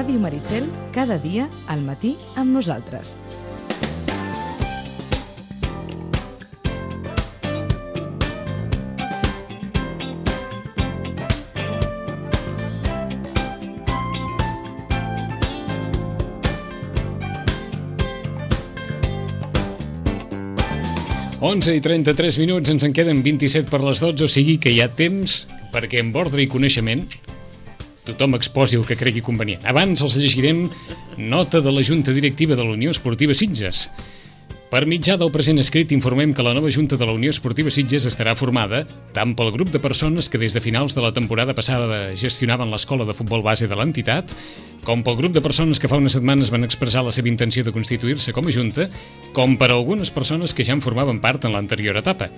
Ràdio Maricel, cada dia al matí amb nosaltres. Onze i 33 minuts, ens en queden 27 per les 12, o sigui que hi ha temps perquè amb ordre i coneixement tothom exposi el que cregui convenient. Abans els llegirem nota de la Junta Directiva de la Unió Esportiva Sitges. Per mitjà del present escrit informem que la nova Junta de la Unió Esportiva Sitges estarà formada tant pel grup de persones que des de finals de la temporada passada gestionaven l'escola de futbol base de l'entitat, com pel grup de persones que fa unes setmanes van expressar la seva intenció de constituir-se com a Junta, com per algunes persones que ja en formaven part en l'anterior etapa.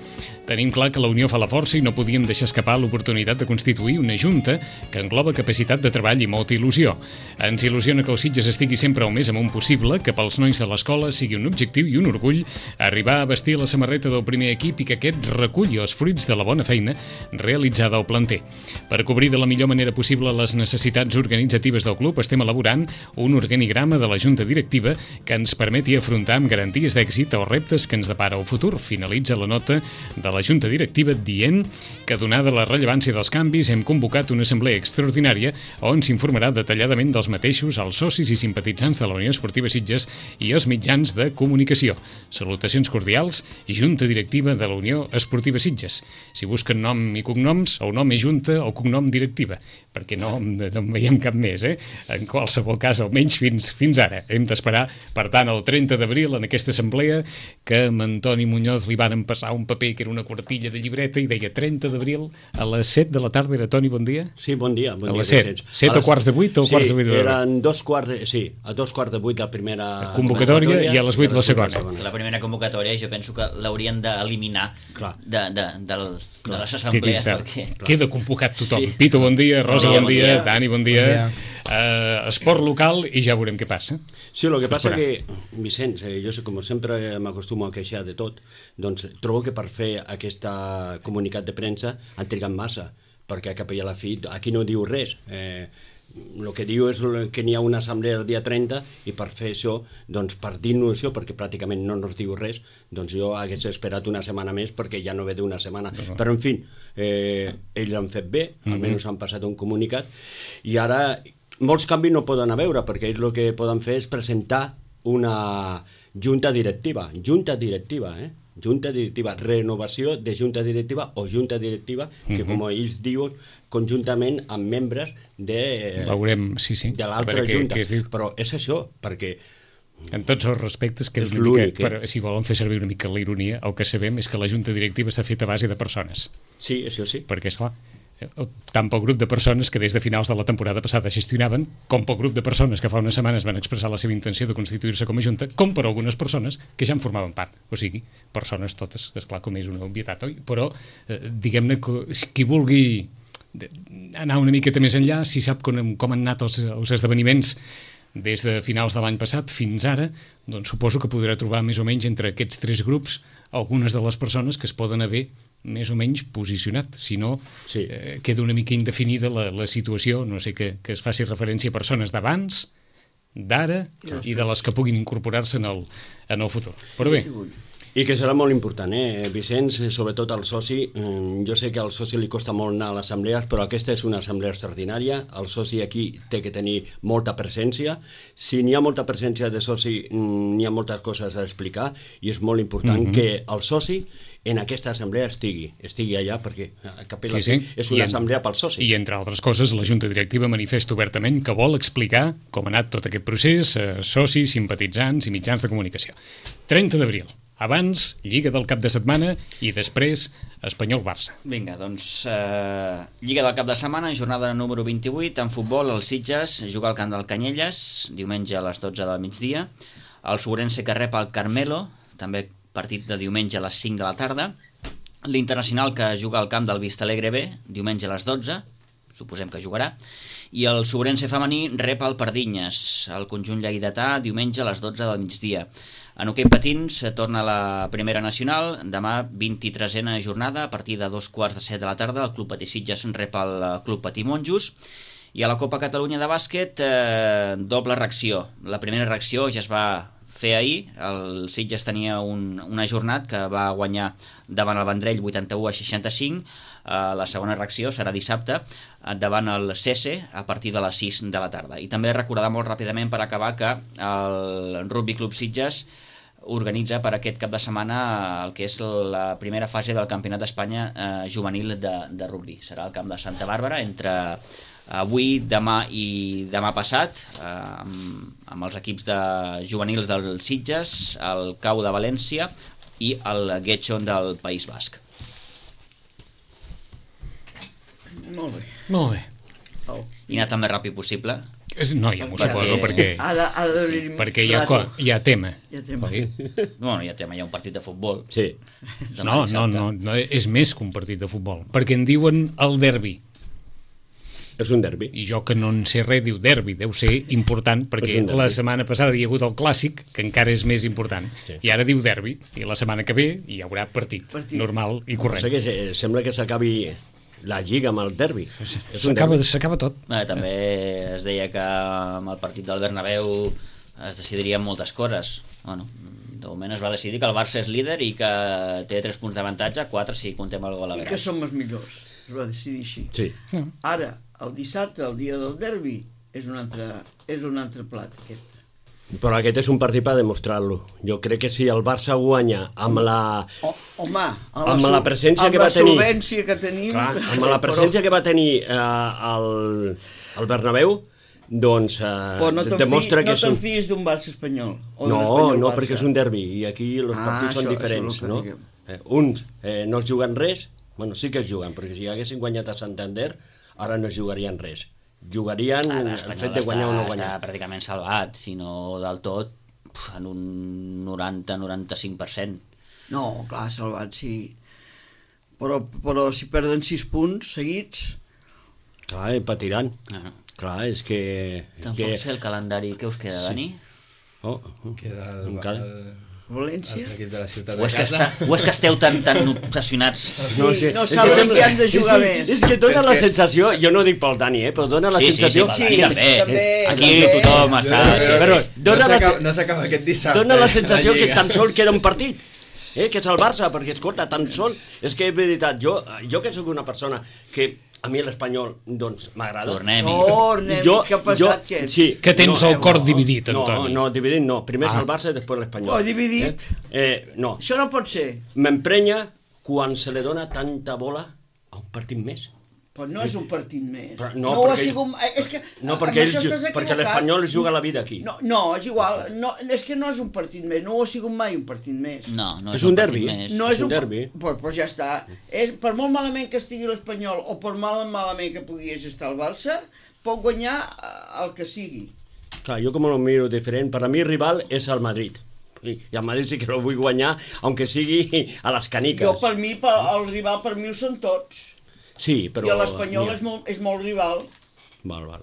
Tenim clar que la Unió fa la força i no podíem deixar escapar l'oportunitat de constituir una Junta que engloba capacitat de treball i molta il·lusió. Ens il·lusiona que el Sitges estigui sempre al més amunt possible, que pels nois de l'escola sigui un objectiu i un orgull arribar a vestir la samarreta del primer equip i que aquest reculli els fruits de la bona feina realitzada al planter. Per cobrir de la millor manera possible les necessitats organitzatives del club, estem elaborant un organigrama de la Junta Directiva que ens permeti afrontar amb garanties d'èxit els reptes que ens depara el futur. Finalitza la nota de la Junta Directiva dient que, donada la rellevància dels canvis, hem convocat una assemblea extraordinària on s'informarà detalladament dels mateixos als socis i simpatitzants de la Unió Esportiva Sitges i els mitjans de comunicació. Salutacions cordials i Junta Directiva de la Unió Esportiva Sitges. Si busquen nom i cognoms, el nom és Junta o cognom Directiva, perquè no en veiem cap més, En qualsevol cas, almenys fins ara. Hem d'esperar, per tant, el 30 d'abril en aquesta assemblea que amb Antoni Muñoz li van passar un paper que era una quartilla de llibreta i deia 30 d'abril a les 7 de la tarda. Era, Toni, bon dia? Sí, bon dia. A les 7. 7 o quarts de 8 o quarts de 8? Sí, eren a 2 quarts de 8 la primera convocatòria i a les 8 la segona. La primera convocatòria jo penso que l'haurien d'eliminar de les assemblees. Queda convocat tothom. Pito, bon dia. Rosa, bon dia. Dani, bon dia. Esport local i ja veurem què passa. Sí, el que passa que, Vicenç, jo sé, com sempre m'acostumo a queixar de tot, doncs trobo que per fer aquesta comunicat de premsa han trigat massa, perquè cap a la fi aquí no diu res. El que diu és que n'hi ha una assemblea el dia 30 i per fer això, doncs per dir-nos això, perquè pràcticament no ens diu res, doncs jo hagués esperat una setmana més perquè ja no ve d'una setmana. Però en fi, ells han fet bé, almenys han passat un comunicat i ara molts canvis no poden haver, perquè ells el que poden fer és presentar una junta directiva, renovació de junta directiva o junta directiva que, com ells diuen, conjuntament amb membres de l'altra junta. Però és això, perquè en tots els respectes, que és l'únic, si volen fer servir una mica la ironia, el que sabem és que la junta directiva s'ha fet a base de persones. Sí, això sí. Perquè, esclar, tant pel grup de persones que des de finals de la temporada passada gestionaven, com pel grup de persones que fa unes setmanes van expressar la seva intenció de constituir-se com a junta, com per algunes persones que ja en formaven part. O sigui, persones totes, esclar, com és una obvietat, oi? Però, diguem-ne, qui vulgui anar una miqueta més enllà, si sap com han anat els esdeveniments des de finals de l'any passat fins ara, doncs suposo que podrà trobar més o menys entre aquests tres grups algunes de les persones que es poden haver més o menys posicionat, si no queda una mica indefinida la situació, no sé, que es faci referència a persones d'abans, d'ara i de les que puguin incorporar-se en el futur. Però bé, i que serà molt important, Vicenç, sobretot al soci. Jo sé que al soci li costa molt anar a les assemblees, però aquesta és una assemblea extraordinària. El soci aquí té que tenir molta presència. Si n'hi ha molta presència de soci, n'hi ha moltes coses a explicar, i és molt important que el soci en aquesta assemblea estigui allà, perquè és una assemblea pel soci. I entre altres coses, la Junta Directiva manifesta obertament que vol explicar com ha anat tot aquest procés, socis, simpatitzants i mitjans de comunicació. 30 d'abril. Abans, Lliga del cap de setmana i després Espanyol-Barça. Vinga, doncs Lliga del cap de setmana, jornada número 28, en futbol, el Sitges juga al camp del Canyelles, diumenge a les 12 del migdia, el Sobrense que rep el Carmelo, també partit de diumenge a les 5 de la tarda, l'Internacional que juga al camp del Vistalegre B, diumenge a les 12, suposem que jugarà, i el Sobrense femení rep el Pardinyes, el conjunt lleidatà, diumenge a les 12 del migdia. En hoquei patins torna la primera nacional, demà 23a jornada, a partir de 2:15 de la tarda, el Club Patí Sitges rep el Club Patí Monjos, I a la Copa Catalunya de bàsquet, doble reacció. La primera reacció ja es va fer ahir, el Sitges tenia un ajornat que va guanyar davant el Vendrell 81-65, la segona reacció serà dissabte davant el Cese a partir de les 6 de la tarda. I també recordar molt ràpidament per acabar que el Rugby Club Sitges organitza per aquest cap de setmana el que és la primera fase del Campionat d'Espanya juvenil de rugby. Serà al camp de Santa Bàrbara entre avui, demà i demà passat, amb els equips de juvenils del Sitges, el CAU de València i el Getxon del País Basc. Molt bé. Molt bé. I anar tan més ràpid possible. No, ja m'ho suposo, perquè hi ha tema. Hi ha tema. Bueno, hi ha tema, hi ha un partit de futbol. Sí. No, és més que un partit de futbol, perquè en diuen el derbi. És un derbi. I jo que no en sé res, diu derbi, deu ser important, perquè la setmana passada hi ha hagut el clàssic, que encara és més important, i ara diu derbi, i la setmana que ve hi haurà partit. Normal i correcte. O sigui, sembla que s'acabi la Lliga amb el derbi. S'acaba tot. També es deia que amb el partit del Bernabéu es decidirien moltes coses. Bueno, de moment es va decidir que el Barça és líder i que té 3 punts d'avantatge, 4 si contem el gol a I que som els millors. Es va decidir així. Sí. Ara, el dissabte, el dia del derbi, és un altre plat, aquest. Però aquest és un partit per demostrar-lo. Jo crec que si el Barça guanya amb la... Home, amb la presència que va tenir... Amb la solvència que tenim... Clar, amb la presència que va tenir el Bernabéu, doncs demostra que és un... No te'n fies d'un Barça espanyol. No, perquè és un derbi i aquí els partits són diferents, no? Uns no es juguen res, bueno, sí que es juguen, perquè si haguessin guanyat a Santander, ara no es jugarien res. Jugarien el fet de guanyar o no guanyar. Està pràcticament salvat, si no del tot, en un 90-95%. No, clar, salvat, sí. Però si perden 6 punts seguits... Clar, patiran. Clar, és que... Tampoc sé el calendari. Què us queda, Dani? Queda València? l'equip de la ciutat de casa. O és que esteu tan obsessionats? No saben si han de jugar més. És que dona la sensació, jo no dic pel Dani, però dona la sensació... Sí, també. Aquí tothom està... No s'acaba aquest dissabte. Dona la sensació que tan sol queda un partit, que és el Barça, perquè escolta, tan sol... És que és veritat, jo que sóc una persona que... A mi l'Espanyol, doncs, m'agrada. Tornem-hi. Que ha passat que ets. Sí, que tens el cor dividit, Antoni. No, dividit no. Primer és el Barça i després l'Espanyol. Dividit? No. Això no pot ser. M'emprenya quan se li dona tanta bola a un partit més. Però no és un partit més. No, perquè l'Espanyol es juga la vida aquí. No, és igual. És que no és un partit més. No ho ha sigut mai un partit més. No és un derbi. No és un derbi. Però ja està. Per molt malament que estigui l'Espanyol o per malament que pogués estar el Barça, pot guanyar el que sigui. Clar, jo com ho miro diferent. Per a mi el rival és el Madrid. I el Madrid sí que el vull guanyar, aunque sigui a les caniques. Jo, per mi, el rival per mi ho són tots. Sí, però... I l'Espanyol és molt rival. Val.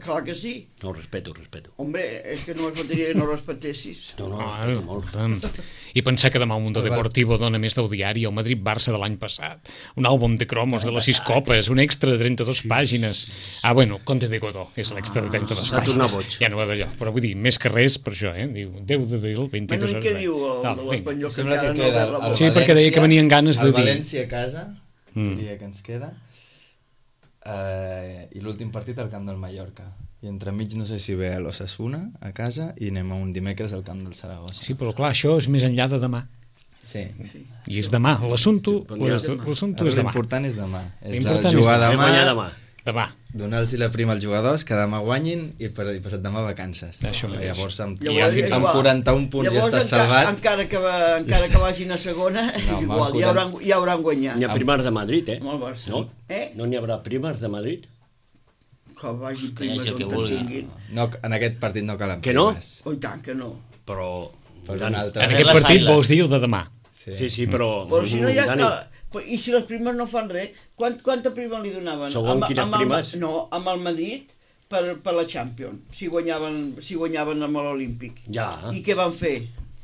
Clar que sí. No, ho respeto. Hombre, és que no es faltaria que no respectessis. Molt. I pensar que demà el Mundo Deportivo dona més del diari el Madrid-Barça de l'any passat, un àlbum de cromos de les 6 copes, un extra de 32 pàgines. Bueno, Conte de Godó és l'extra de 32 pàgines. Ja no va d'allò, però vull dir, més que res per això, diu 10 d'abril, 22 hores. I què diu l'Espanyol? Sembla que queda el Sí, perquè deia que venien ganes de dir... El València a casa, diria que ens queda, i l'últim partit al camp del Mallorca. I entremig no sé si ve a l'Osasuna a casa i anem a un dimecres al camp del Saragossa. Sí, però clar, això és més enllà de demà. Sí. I és demà, l'assumpte és demà. L'important és demà. L'important jugar demà. Donar-los la prima als jugadors, que demà guanyin i passat demà vacances. Això mateix. Llavors amb 41 punts ja estàs salvat. Encara que vagin a segona, és igual, ja hauran guanyat. N'hi ha primes de Madrid, Amb el Barça. No n'hi haurà primes de Madrid? Que vagin primes el que on tinguin. No, en aquest partit no calen que no? primes. Oh, i tant que no. Però... En aquest partit vols dir el de demà. Sí, però... Però si no hi ha... I si les primes no fan res, quanta prima li donaven? Segons quines primes? No, amb el Madrid per la Champions, si guanyaven amb l'Olímpic. Ja. I què van fer?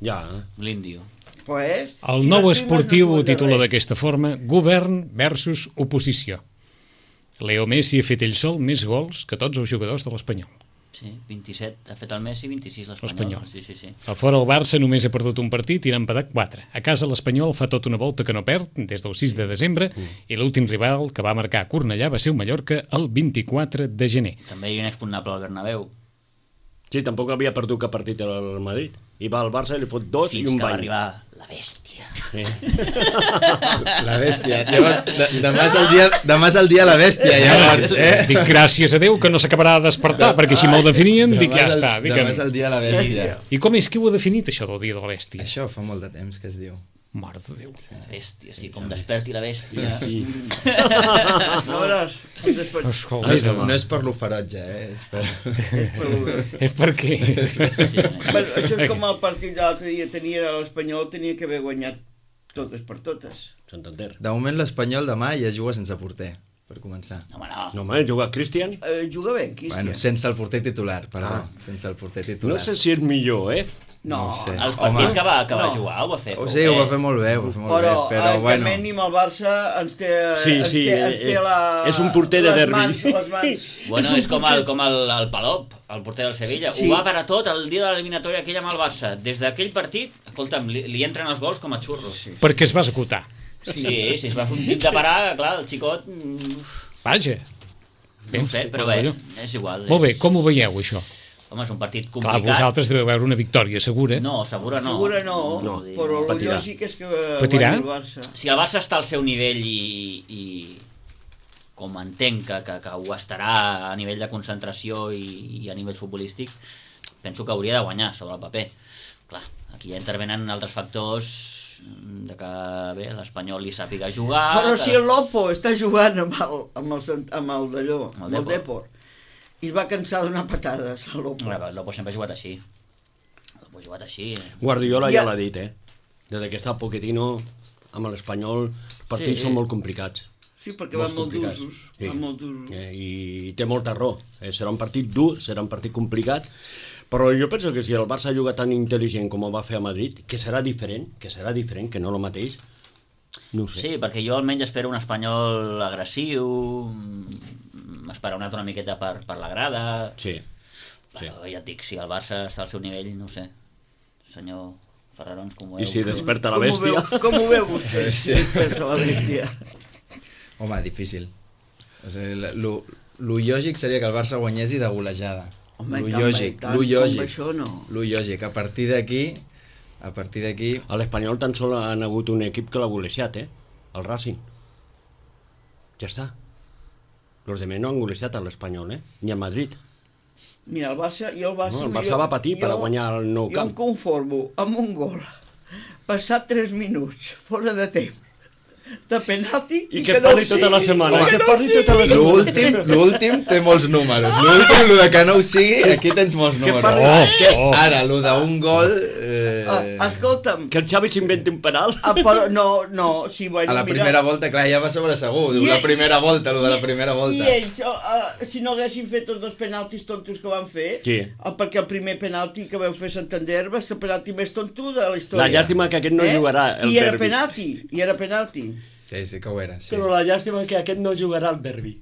Ja. L'Índio. Pues, El nou esportiu ho titula d'aquesta forma: Govern versus oposició. Leo Messi ha fet ell sol més gols que tots els jugadors de l'Espanyol. Sí, 27 ha fet el Messi, 26 L'Espanyol. l'Espanyol. Sí. A fora el Barça només ha perdut un partit i n'ha empatat 4. A casa l'Espanyol fa tota una volta que no perd des del 6 de desembre i l'últim rival que va marcar a Cornellà va ser el Mallorca el 24 de gener. També hi ha un expugnable al Bernabéu. Sí, tampoc havia perdut cap partit al Madrid. I va al Barça i li fot 2 i Fins un que va bany. arribar la bèstia. La bèstia. Llavors, demà és el dia de la bèstia, llavors, Dic, gràcies a Déu que no s'acabarà de despertar, perquè així me'l definien, dic, ja està. Dic, Demà és el dia de la bèstia. I com és que ho ha definit, això del dia de la bèstia? Això fa molt de temps que es diu. Mare de Déu. La bèstia, sí, com desperti la bèstia. Sí. No veuràs. Escolta, No és per lo ferotge, és per... és perquè... Bueno, això és com el partit de l'altre dia tenia l'Espanyol, tenia que haver guanyat totes per totes. Santander. De moment l'Espanyol demà ja juga sense porter, per començar. No, home, no. No, home, juga Cristian. Juga bé, Cristian. Bueno, sense el porter titular, perdó. Sense el porter titular. No sé si és millor, No, no ho sé. Els partits Home. que va No. jugar ho va fer O prou sigui, ho va bé. fer molt bé, ho va fer molt però, bé, però el bueno... Carmen amb el Barça ens té, Sí, ens sí, té la, és un porter de les derbi. les mans. Bueno, és com el Palop, el porter del Sevilla. Sí. Ho va parar tot el dia de l'eliminatòria aquella amb el Barça. Des d'aquell partit, escolta'm, li entren els gols com a xurros. Sí, Perquè es va esgotar. si es va fer un tip de parar, clar, el xicot... Vaja. No ho sé, però bé, és igual. Molt bé, com ho veieu, això? Home, és un partit Clar, complicat. vosaltres deveu veure una victòria segura. No, segura no. Segura no, No, però el patirà. lògic és que Patirà? guanyi el Barça. Si el Barça està al seu nivell i com entenc que ho estarà a nivell de concentració i a nivell futbolístic, penso que hauria de guanyar sobre el paper. Clar, aquí ja intervenen altres factors de que bé, l'Espanyol li sàpiga jugar... Però que... si el Lopo està jugant amb el d'allò, amb el Depor. Depor, i es va cansar de donar patades al Lopo. El Lopo sempre ha jugat així. El Lopo ha jugat així. Guardiola Ja- ja l'ha dit, Des que està Pochettino amb l'Espanyol, els partits Sí. són molt complicats. Sí, perquè van molt complicats. d'usos. Sí. Van molt d'usos. I té molta raó. Serà un partit dur, serà un partit complicat, però jo penso que si el Barça juga tan intel·ligent com ho va fer a Madrid, que serà diferent, que no el mateix, no ho sé. Sí, perquè jo almenys espero un Espanyol agressiu, esperonat una miqueta per la grada... Sí. Sí. Però ja et dic, si el Barça està al seu nivell, no ho sé. Senyor Ferrarons, com ho veu? I si desperta la bèstia... Com ho veu vostè? Si desperta la bèstia. Home, difícil. O sigui, lo lògic seria que el Barça guanyés i de golejada. Home, Lo tant, lògic, tant, lo com lògic. això no. Lo lògic. A partir d'aquí... A l'Espanyol tan sol han hagut un equip que l'ha golejat, el Racing. Ja està. Los demés no han golejat a l'Espanyol, ni a Madrid. Mira, el Barça No, el Barça va patir per guanyar el nou Jo camp. em conformo amb un gol passat 3 minuts, fora de temps, de penalti I que parli tota la setmana. Home, Que parli tota la setmana. L'últim té molts números. L'últim, lo de que no ho sigui, aquí tens molts números. parli- Ara, lo d'un gol... Escolta'm, Que el Xavi s'inventi un penal. però no, sí, bueno, A la primera volta, clar, ja va sobre segur. I La ell- primera volta, lo de la primera volta. I ells, si no haguessin fet els dos penaltis tontos que van fer, Sí. perquè el primer penalti que vau fer Santander va ser el penalti més tonto de la història. La llàstima que aquest no jugarà el I era derbi. penalti, Sí, sí que ho era, sí. Però la llàstima que aquest no jugarà al derbi.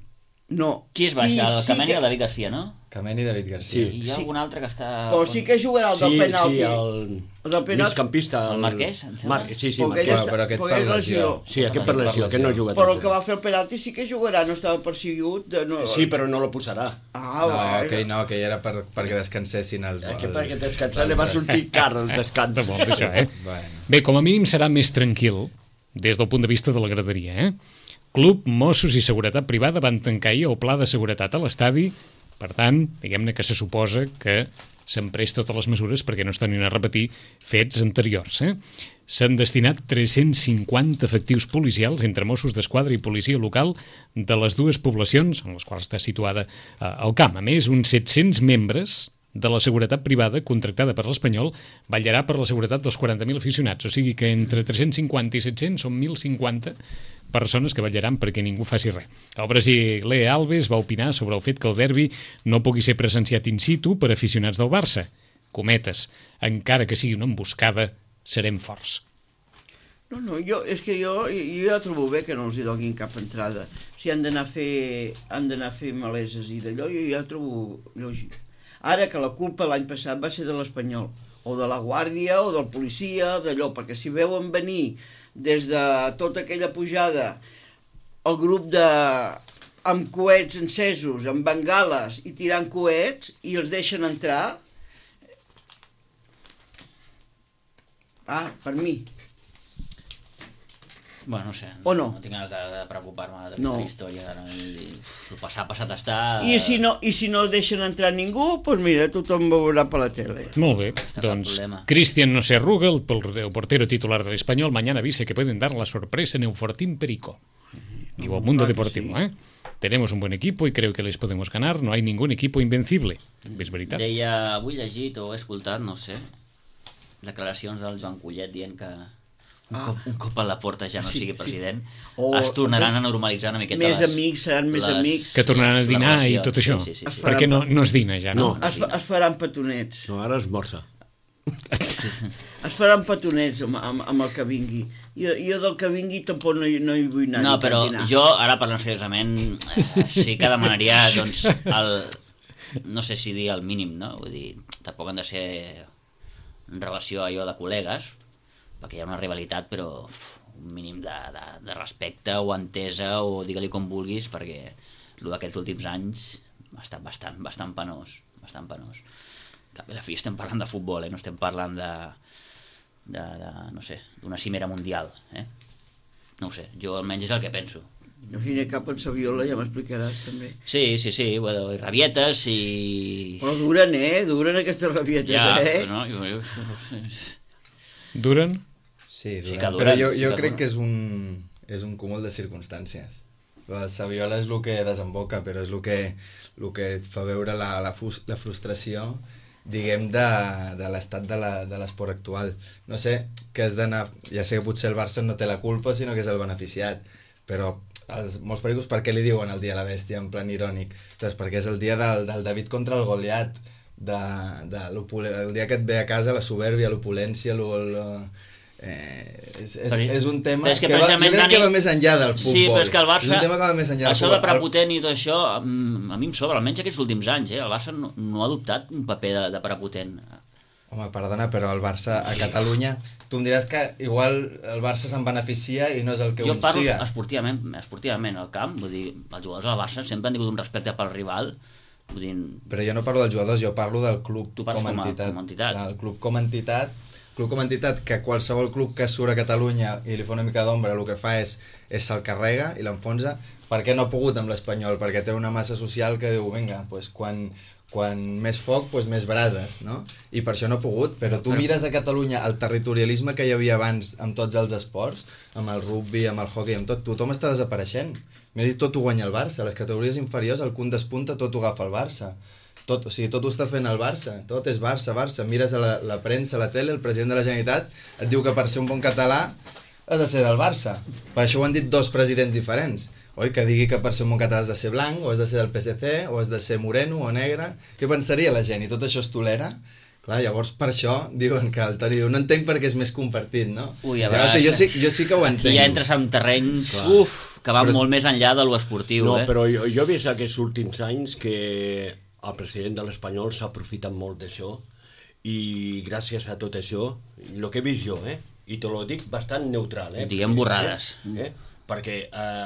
No. Qui es baixa? El sí Cameni que- o David Garcia, no? Cameni i David Garcia. Sí. I hi ha algun altre que està... Però sí que jugarà el del penalti. el del penalti. migcampista. El Marquès, em sembla. Sí, Perquè Marquès. ell està- però aquest perquè per ell lesió. Sí, aquest per lesió, aquest no juga. Però el que va fer el penalti sí que jugarà, no estava perseguit. No... Sí, però no lo posarà. Ah, que era perquè descansessin els... Que perquè descansar li va sortir car el descans. De molt, això, Bueno. Bé, com a mínim serà més tranquil des del punt de vista de la graderia, Club, Mossos i Seguretat Privada van tancar ahir el pla de seguretat a l'estadi. Per tant, diguem-ne que se suposa que s'han pres totes les mesures perquè no es tornin a repetir fets anteriors. S'han destinat 350 efectius policials entre Mossos d'Esquadra i policia local de les dues poblacions en les quals està situada el camp. A més, uns 700 membres de la seguretat privada contractada per l'Espanyol vetllarà per la seguretat dels 40.000 aficionats, o sigui que entre 350 i 700 són 1.050 persones que vetllaran perquè ningú faci res. El brasiler Alves va opinar sobre el fet que el derbi no pugui ser presenciat in situ per aficionats del Barça. Cometes, encara que sigui una emboscada, serem forts. No, és que jo ja trobo bé que no els hi donin cap entrada. Si han d'anar a fer maleses i d'allò, jo ja trobo lògic. Ara que la culpa l'any passat va ser de l'Espanyol, o de la Guàrdia, o del policia, d'allò, perquè si veuen venir des de tota aquella pujada el grup amb coets encesos, amb bengales i tirant coets, i els deixen entrar, per mi. Bueno, no sé, O no? No tinc ganes de preocupar-me d'aquesta No. història. El passat està... I si no deixen entrar ningú, doncs mira, tothom veurà per la tele. Molt bé, Està cap doncs problema. Cristian no se arruga, el portero titular del Español, mañana avisa que pueden dar la sorpresa en Eufortín Perico. Digo, Mundo Claro que Deportivo, sí. Tenemos un buen equipo y creo que les podemos ganar, no hay ningún equipo invencible. És veritat? Deia, avui llegit o he escoltat, no sé, declaracions del Joan Collet dient que un cop a la porta ja no sigui president, es tornaran a normalitzar una miqueta Més amics, seran més amics. Que tornaran a les dinar i relacions. tot això. Sí. Perquè no es dina ja, no? Es faran petonets. No, ara esmorza. Es faran petonets amb el que vingui. Jo del que vingui tampoc no hi vull anar. No, ni per però dinar. jo, ara parlant seriosament, sí que demanaria, doncs, no sé si dir el mínim, no? Vull dir, tampoc han de ser en relació a allò de col·legues, perquè hi ha una rivalitat, però un mínim de respecte o entesa, o digue-li com vulguis, perquè el d'aquests últims anys ha estat bastant penós, bastant penós. Cap a la fi estem parlant de futbol, no estem parlant no sé, d'una cimera mundial, No ho sé, jo almenys és el que penso. Al fin i al cap en Saviola ja m'explicaràs també. Sí, bueno, i rabietes i... Però duren aquestes rabietes, Ja, no? jo no sé. Duren? Sí, Sí durant, que però duren, sí jo que crec duren. que és un cúmul de circumstàncies. El Saviola és el que desemboca, però és el que et fa veure la frustració, diguem, de l'estat de l'esport actual. No sé, que has d'anar... Ja sé que potser el Barça no té la culpa, sinó que és el beneficiat, però molts periòdics per què li diuen el dia de la bèstia, en plan irònic? Doncs perquè és el dia del David contra el Goliat, el dia que et ve a casa la soberbia, l'opulència, és un tema és que jo crec que va més enllà del futbol. Sí, però és que el Barça, és un tema que va més enllà del això de futbol. prepotent i tot això, a mi em sobra, almenys aquests últims anys, el Barça no ha adoptat un paper de prepotent. Home, perdona, però el Barça a Catalunya, tu em diràs que igual el Barça se'n beneficia i no és el que ho Jo parlo instiga. esportivament al camp, vull dir, els jugadors del Barça sempre han tingut un respecte pel rival, vull dir, Però jo no parlo dels jugadors, jo parlo del club Tu parles com a com a entitat. entitat. El club com a entitat, que qualsevol club que surt a Catalunya i li fa una mica d'ombra el que fa és se'l carrega i l'enfonsa. Per què no ha pogut amb l'Espanyol? Perquè té una massa social que diu, vinga, doncs quan més foc, doncs més brases, no? I per això no ha pogut, però tu mires a Catalunya el territorialisme que hi havia abans amb tots els esports, amb el rugby, amb el hockey, amb tot, tothom està desapareixent. Mira, tot ho guanya el Barça, les categories inferiors, el punt despunta, tot ho agafa el Barça. Tot ho està fent el Barça, tot és Barça. Mires a la premsa, a la tele, el president de la Generalitat et diu que per ser un bon català has de ser del Barça. Per això ho han dit dos presidents diferents. Oi? Que digui que per ser un bon català has de ser blanc, o has de ser del PSC, o has de ser moreno o negre. Què pensaria la gent? I tot això es tolera? Clar, llavors per això diuen que el Toni diu, no entenc perquè és més compartit, no? Ui, a veure, jo sí que ho entenc. aquí ja entres en terrenys que van molt més enllà de lo esportiu. No, però jo he vist aquests últims anys que el president de l'Espanyol s'ha aprofitat molt d'això i gràcies a tot això, el que he vist jo, i te lo dic bastant neutral. Diguem borrades. Perquè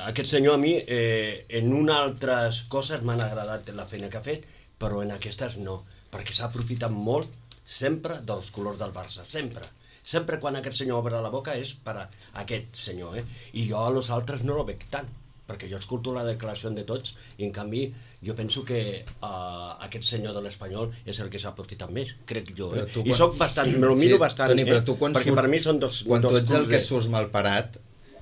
aquest senyor a mi en unes altres coses m'han agradat la feina que ha fet, però en aquestes no, perquè s'ha aprofitat molt sempre dels colors del Barça, sempre. Sempre quan aquest senyor obre la boca és per a aquest senyor, i jo a los altres no lo veig tant, perquè jo escolto la declaració de tots i en canvi jo penso que aquest senyor de l'Espanyol és el que s'ha aprofitat més, crec jo, i soc bastant, me lo miro bastant, Toni, però tu perquè per mi són dos quan tu ets el clubs, que surts malparat,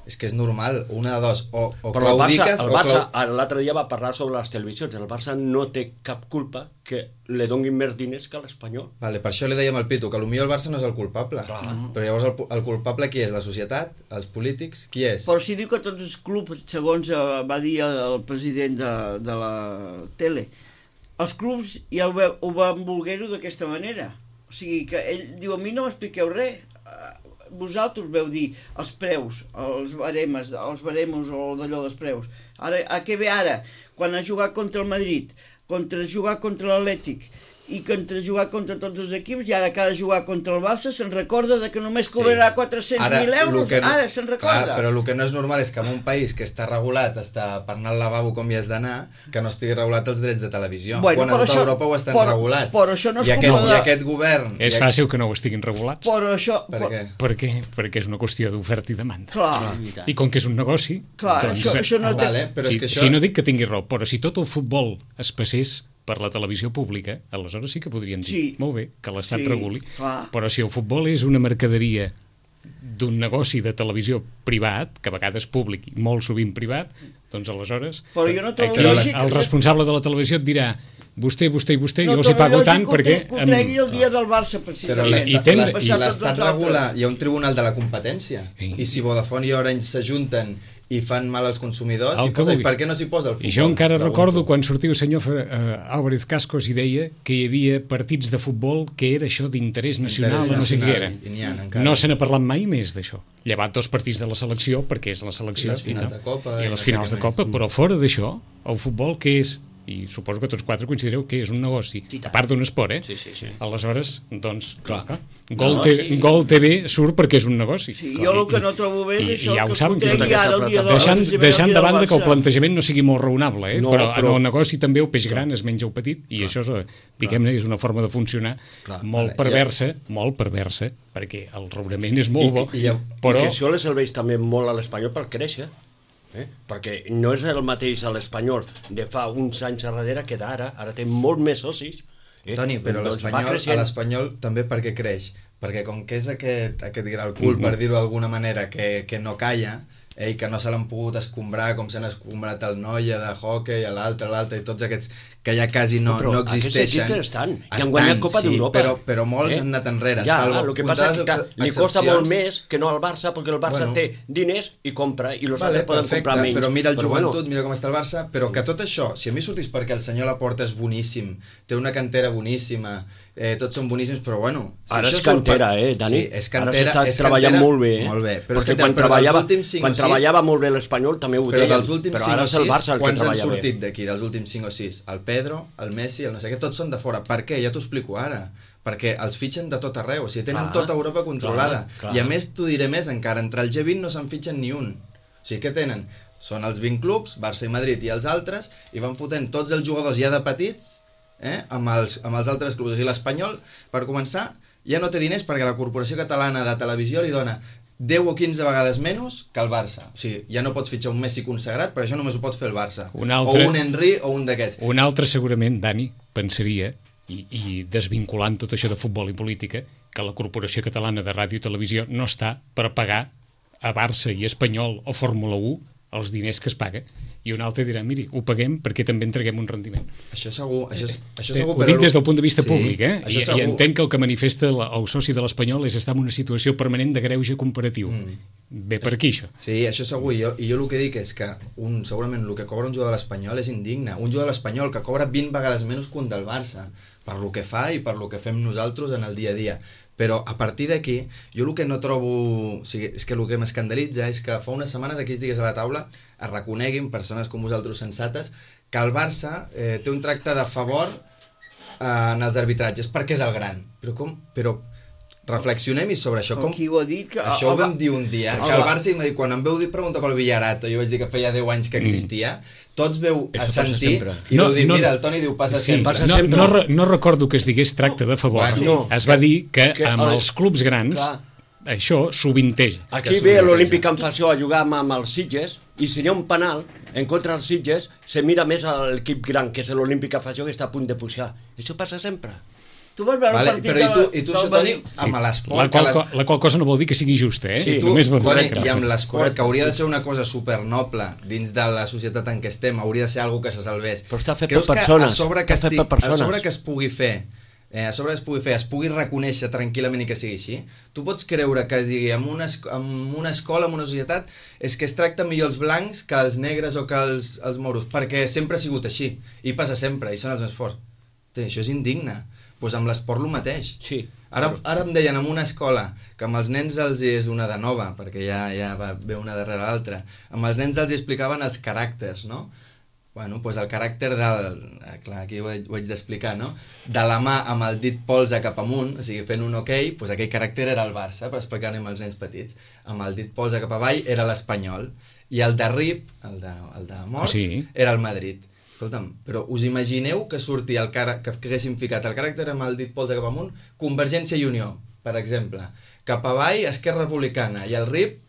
és que és normal, una de dos, o però claudiques el Barça l'altre dia va parlar sobre les televisions, el Barça no té cap culpa que li donguin més diners que l'Espanyol. Vale, per això li dèiem al Pitu, que potser el Barça no és el culpable. Però llavors el culpable qui és? La societat? Els polítics? Qui és? Però si diu que tots els clubs, segons va dir el president de la tele, els clubs ja ho van voler-ho d'aquesta manera. O sigui que ell diu, a mi no m'expliqueu res. vosaltres veu dir els preus, els baremos o d'allò dels preus. Ara, a què ve ara? Quan ha jugat contra el Madrid, jugar contra l'Atlètic, i contra jugar contra tots els equips, i ara que ha de jugar contra el Barça se'n recorda de que només cobrarà 400.000 euros, ara se'n recorda. Clar, però el que no és normal és que en un país que està regulat, està per anar al lavabo com hi has d'anar, que no estigui regulat els drets de televisió. Bueno, quan a tota Europa ho estan regulats. Però això no és I aquest govern... És fàcil que no ho estiguin regulats. Però això... Per què? Per què? Perquè és una qüestió d'oferta i demanda. Clar. I com que és un negoci... Clar, doncs, això no té... Vale, però és que si no dic que tingui raó, però si tot el futbol es passés per la televisió pública, aleshores sí que podrien dir, molt bé, que l'Estat reguli, però si el futbol és una mercaderia d'un negoci de televisió privat, que a vegades públic i molt sovint privat, doncs aleshores però jo no trobo el responsable de la televisió et dirà vostè i vostè, jo els hi pago tant perquè... No trobo lògic que ho tregui el dia del Barça, precisament. Però l'Estat regula, hi ha un tribunal de la competència, i si Vodafone i Orange s'ajunten i fan mal als consumidors, i per què no s'hi posa el futbol? I jo encara recordo quan sortia el senyor Álvarez Cascos i deia que hi havia partits de futbol que era això d'interès nacional o no sé què era. No se n'ha parlat mai més d'això. Llevat 2 partits de la selecció, perquè és la selecció. I les finals de Copa. I les finals de Copa, però fora d'això, el futbol què és? I suposo que tots 4 considereu que és un negoci, a part d'un esport, Sí. Aleshores, doncs, clar. Gol TV surt perquè és un negoci. Sí, jo el que no trobo bé és això, ja ho que saben, ho tregui ara el dia del Barça. deixant de banda que el plantejament no sigui molt raonable, però en el negoci també el peix gran es menja el petit, i això és, diguem-ne, és una forma de funcionar molt perversa, perquè el raonament és molt bo, però... I que això li serveix també molt a l'Espanyol per créixer. Perquè no és el mateix a l'Espanyol de fa uns anys darrere que d'ara, ara té molt més socis. Toni, però l'Espanyol també per què creix? Perquè com que és aquest gran cul, per dir-ho d'alguna manera, que no calla, i que no se l'han pogut escombrar com s'han escombrat el Noia de hockey, l'altre, i tots aquests que ja quasi no existeixen. Però estan, i han guanyat Copa d'Europa. Però molts han anat enrere. Ja, el que passa és que li costa molt més que no al Barça, perquè el Barça té diners i compra, i els altres poden comprar menys. Però mira el Joventut, mira com està el Barça, però que tot això, si a mi sortís perquè el senyor Laporta és boníssim, té una cantera boníssima, tots són boníssims, però bueno... Ara és cantera, Dani? Sí, és cantera. Ara s'està treballant molt bé. Molt bé. Perquè quan treballava molt bé l'Espanyol també ho deien, però ara és el Barça el que treballa bé. Quants han sortit d'aquí, dels últims 5 o 6? El Pedro, el Messi, el no sé què, tots són de fora. Per què? Ja t'ho explico ara. Perquè els fitxen de tot arreu, o sigui, tenen tota Europa controlada. I a més, t'ho diré més encara, entre el G20 no se'n fitxen ni un. O sigui, què tenen? Són els 20 clubs, Barça i Madrid i els altres, i van fotent tots els jugadors ja de petits amb els altres clubs. O sigui, l'Espanyol, per començar, ja no té diners perquè la Corporació Catalana de Televisió li dona 10 o 15 vegades menys que el Barça. O sigui, ja no pots fitxar un Messi consagrat, però això només ho pot fer el Barça. O un Henry o un d'aquests. Un altre segurament, Dani, pensaria, i desvinculant tot això de futbol i política, que la Corporació Catalana de Ràdio i Televisió no està per pagar a Barça i Espanyol o Fórmula 1 els diners que es paga, i un altre dirà, miri, ho paguem perquè també entreguem un rendiment. Això segur, ho dic des del punt de vista públic, i entenc que el que manifesta el soci de l'Espanyol és estar en una situació permanent de greuge comparatiu. Ve per aquí, això. Sí, això segur, i jo el que dic és que segurament el que cobra un jugador de l'Espanyol és indigne. Un jugador de l'Espanyol que cobra 20 vegades menys que un del Barça, per lo que fa i per lo que fem nosaltres en el dia a dia. Però a partir d'aquí, jo el que no trobo... O sigui, és que el que m'escandalitza és que fa unes setmanes aquí es digués a la taula, es reconeguin, persones com vosaltres sensates, que el Barça té un tracte de favor en els arbitratges, perquè és el gran. Però com? Però reflexionem-hi sobre això. Qui ho ha dit? Això ho vam dir un dia, que el Barça, quan em veu dir preguntar pel Villarato, jo vaig dir que feia 10 anys que existia, tots veu assentir i veu dir, mira, el Toni diu passa sempre. No recordo que es digués tracte de favor. Es va dir que amb els clubs grans això sovinteja. Aquí ve l'Olímpic en Fassió a jugar amb els Sitges, i si hi ha un penal en contra dels Sitges, se mira més a l'equip gran, que és l'Olímpic en Fassió, que està a punt de pujar. Això passa sempre. Tu vas veure el partit i tu això, Toni, amb l'esport... La qual cosa no vol dir que sigui justa, Sí, i amb l'esport, que hauria de ser una cosa supernoble dins de la societat en què estem, hauria de ser alguna que se salvés. Però està fet per persones. A sobre que es pugui fer, es pugui reconèixer tranquil·lament i que sigui així, tu pots creure que digui, en una escola, en una societat, és que es tracten millor els blancs que els negres o que els moros, perquè sempre ha sigut així, i passa sempre, i són els més forts. Això és indigne. Doncs amb l'esport el mateix. Sí. Ara em deien en una escola que amb els nens els és una de nova, perquè ja va ve una darrere l'altra, amb els nens els explicaven els caràcters, no? Bueno, doncs el caràcter del... Clar, aquí ho haig d'explicar, no? De la mà amb el dit polze cap amunt, o sigui, fent un ok, doncs aquell caràcter era el Barça, per explicar-ho als nens petits. Amb el dit polze cap avall era l'Espanyol. I el de RIP, el de mort, Sí. era el Madrid. Escolta'm, però us imagineu que surti que haguéssim ficat el caràcter amb el dit polze cap amunt, Convergència i Unió, per exemple. Cap avall, Esquerra Republicana, i el RIP,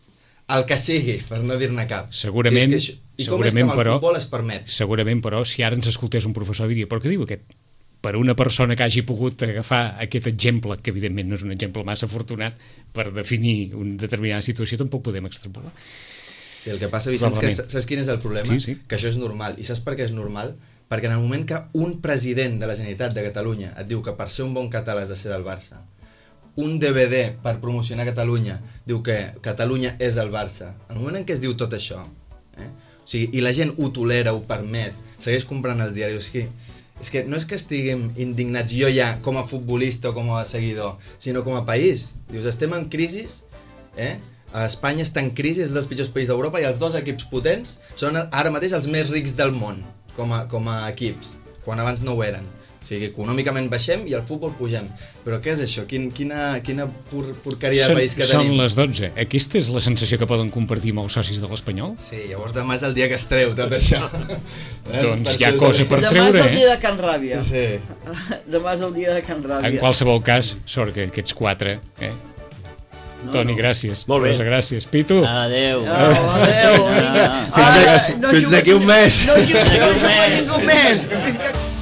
el que sigui, per no dir-ne cap. Segurament, I com és que amb el futbol es permet? Segurament, però, si ara ens escoltés un professor diria, però què diu aquest? Per una persona que hagi pogut agafar aquest exemple, que evidentment no és un exemple massa afortunat, per definir una determinada situació, tampoc podem extrapolar. Sí, el que passa, Vicenç, que saps quin és el problema? Sí. Que això és normal. I saps per què és normal? Perquè en el moment que un president de la Generalitat de Catalunya et diu que per ser un bon català has de ser del Barça, un DVD per promocionar Catalunya diu que Catalunya és el Barça, en el moment en què es diu tot això, o sigui, i la gent ho tolera, ho permet, segueix comprant els diaris, és que no és que estiguem indignats jo ja com a futbolista o com a seguidor, sinó com a país. Dius, estem en crisi, Espanya està en crisi, és dels pitjors països d'Europa i els dos equips potents són ara mateix els més rics del món com a equips, quan abans no ho eren. O sigui, econòmicament baixem i al futbol pugem. Però què és això? Quina porqueria de país que tenim. Són les 12. Aquesta és la sensació que poden compartir amb els socis de l'Espanyol? Sí, llavors demà és el dia que es treu tot això. Doncs hi ha cosa per Demà treure, és el dia de Can Ràbia. Sí. Demà és el dia de Can Ràbia. En qualsevol cas, sort que aquests 4... Toni, gràcies. Molt bé. Rosa, gràcies. Pitu. Adéu. Adéu, vinga. Fins d'aquí un mes. No juguem un mes.